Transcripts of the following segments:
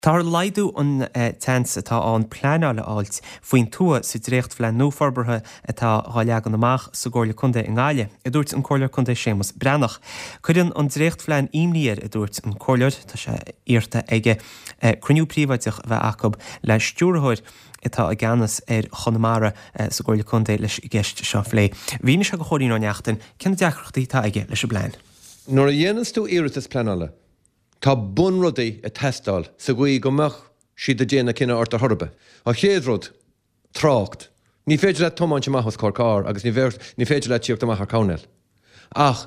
Táthar ag laghdú an tseans atá ann pleanáil a fháilt faoin tuath sa dréachtphlean nua forbartha atá dhá leagan amach sa gComhairle Contae i nGaillimh, a dúirt an Comhairleoir Contae Séamus Breathnach. Cuireann an dréachtphlean imní air, a dúirt an Comhairleoir. Tá sé iarrta aige cruinniú príobháideach a bheith acu le stiúrthóir atá i gceannas ar Chonamara sa gComhairle Contae leis an gceist seo a phlé. Mhínigh sé do Chóilín Ó Neachtain cé na deacrachtaí atá aige leis an bplean. Nuair a dhéananns tú iarratas pleanála, Tá bunrudaí ag teastáil sa gcaoi go mbeadh siad ag déanamh cinneadh ort ar chor ar bith. An chéad rud, trácht. Ní féidir leat tiomáint amach os comhair carr agus ní ní féidir leat tíocht amach ar coirnéal. Ach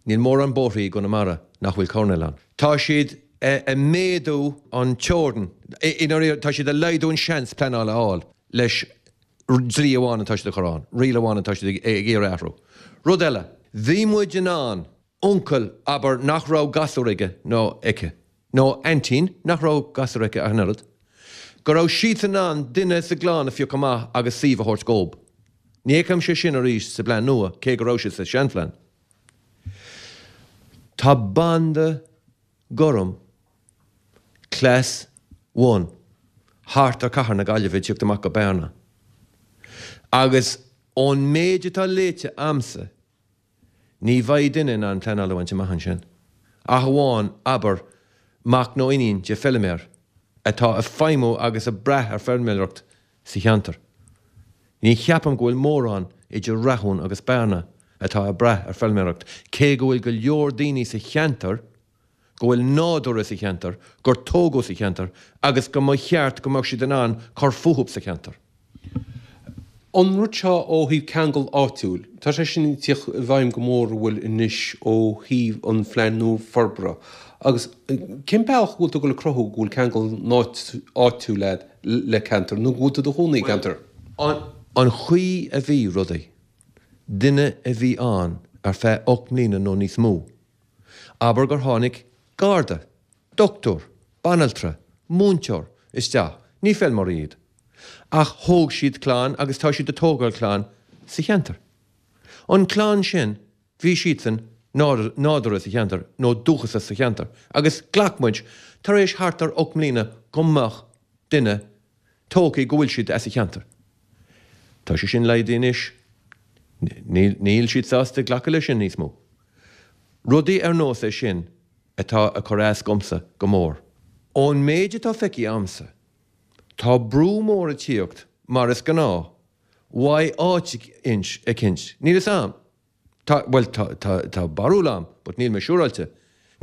níl mórán bóithrí i gConamara nach bhfuil coirnéal ann. Tá siad ag méadú an teorainn, i ndáiríre tá siad ag laghdú an seans pleanáil a fháil leis dlí amháin atá siad a chur ann, riail amháin atá siad ag iarraidh athrú. Rud eile, bhí muid in ann uncail, abair, nach raibh gasúr aige nó aici, nó aintín nach raibh gasúr aici ach an oiread, go raibh siadsan in ann duine sa gclann a phiocadh amach agus suíomh a thabhairt dhób. Ní fheicimse sin arís sa bplean nua, cé go raibh sé sa seanphlean. Tá banda gorm Class One thart ar Cathair na Gaillimhe ag tíocht amach go Bearna. Agus ón méid atá léite a'msa, Ní bheidh duine in ann pleanáil a bhaint amach ansin, ach amháin, abair, mac nó iníon de feiliméar atá ag feidhmiú agus ag brath ar feilméaracht sa cheantar. Ní cheapaim go bhfuil mórán idir Rathún agus Bearna atá ag brath ar feilméaracht, cé go bhfuil go leor daoine sa cheantar go bhfuil nádúrtha sa cheantar, gur tógadh sa cheantar agus go mba cheart go mbeadh siad in ann cur fúthu sa cheantar. An rud seo ó thaobh ceangal áitiúil, tá sé sin ag tíocht i bhfeidhm go mór an bhfuil anois ó thaobh an phlean nua forbartha agus cén bealach a bhfuil tú ag dul ag cruthú go bhfuil ceangal áitiúil agat le ceantar nó go bhfuil tú i do chónaí i gceantar? An chaoi a bhí rudaí, duine a bhí ann ar feadh 8 mbliana nó níos mó, Abair gur tháinig garda, dochtúir, banaltra, múinteoir isteach, ní feilméaraí iad, ach thóg siad clann agus tá siad ag tógáil clann sa cheantar. An clann sin, bhí siadsan nádúrtha sa cheantar nó dúchasach sa cheantar agus ghlac muid tar éis thart ar 8 mbliana go mbeadh duine tógtha go bhfuil siad as an cheantar. Tá sé sin laghdaithe anois. Níl siad sásta glacadh leis sin níos mó. Rudaí ar nós é sin atá ag cur as dhomsa go mór. Ón méid atá feicthe a'msa, tá brú mór ag tíocht, mar is gnáth, uaidh áit eicint, níl fhios a'm. Tá, bhuel, tá, tá, tá barúil a'm, but níl mé siúráilte.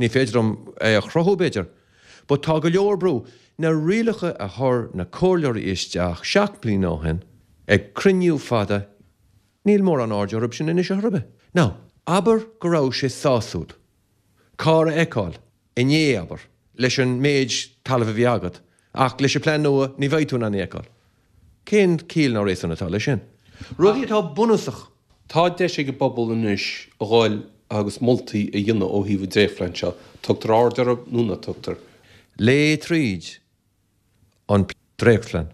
Ní féidir liom é a chruthú, b'fhéidir. But tá go leor brú. Na rialacha a chuir na comhairleoirí isteach 7 mbliana ó shin, ag cruinniú fada, níl mórán aird orthu sin anois ar chor ar bith. Now, abair go raibh sé sásúil carr a fheiceáil inné, abair, leis an méid talaimh a bhí agat, ach leis an plean nua ní bheidh tú in ann é a fheiceáil. Cén ciall ná réasún atá leis sin? Rudaí atá bunúsach. Tá deis ag an bpobal anois a dhul agus moltaí a dhéanamh ó thaobh an dréachtphlean seo. Tugtar aird orthu nó ná tugtar. Léigh tríd an dréachtphlean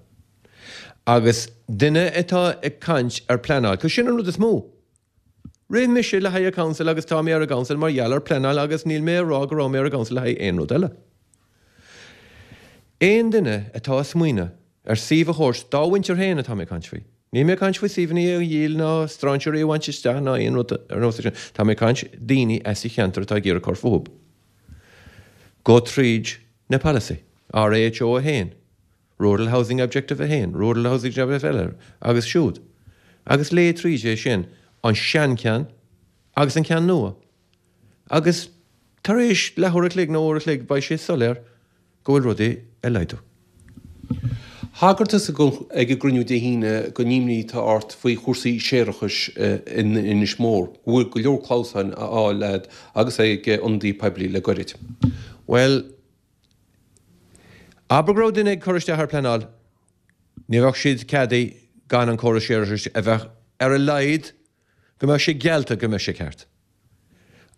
agus duine atá ag caint ar pleanáil, 'cause sin an rud is mó. Rith mise le haghaidh an council agus tá mé ar an gcouncil mar gheall ar pleanáil agus níl mé ag rá go raibh mé ar an gcouncil le haghaidh aon rud eile. Aon duine atá ag smaoineamh ar suíomh a thabhairt dá mhuintir féin atá mé ag caint faoi. Níl mé ag caint faoi suíomhanna a dhíol ná strainséirí a bhaint isteach ná aon rud ar nós é sin. Tá mé ag caint daoine as an cheantar atá ag iarraidh cur fúthu. Go tríd na polasaí, RHO 1. Rural Housing Objective 1, Rural Housing Objective eile agus siúd. Agus léigh tríd é sin, an seancheann agus an ceann nua. Agus tar éis leathuair a chloig nó uair a chloig beidh sé soiléir go bhfuil rudaí ag laghdú. Thagair tusa ag an gcruinniú Dé hAoine don imní atá ort faoi chúrsaí séarachais in Inis Mór, go bhfuil go leor clamhsáin á fháil agat agus ag ionadaí poiblí le goirid. Bhuel, Abair go raibh duine ag cur isteach ar pleanáil, ní bheadh siad ceadaithe gan an córas séarachais a bheith ar a laghad go mbeadh sé geallta go mbeadh sé ceart.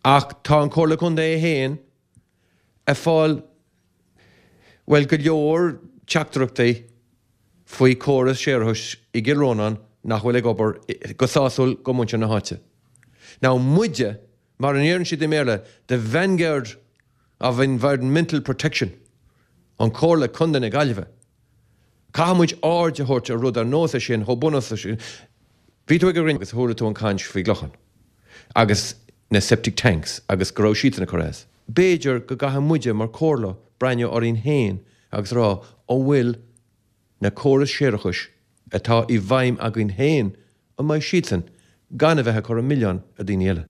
Ach tá an Comhairle Contae féin ag fáil, bhuel, go leor teachtaireachtaí faoi córas séarachais i gCill Rónáin nach bhfuil ag obair go sásúil go muintir na háite. Now muide, mar a ndeireann siad i mBéarla, the vanguard of environmental protection. An Comhairle Contae na Gaillimhe. Caithfidh muid aird a thabhairt ar rud ar nós é sin, chomh bunúsach sin. Bhí tú ag an gcruinniú agus chuala tú an caint faoi gClochán agus na septic tanks agus go raibh siadsan ag cur as. B'fhéidir go gcaithfidh muide mar Chomhairle breathnú orainn féin agus rá an bhfuil na córais séarachais atá i bhfeidhm againn féin, an mbeidh siadsan gan a bheith ag cur an milleán ar daoine eile?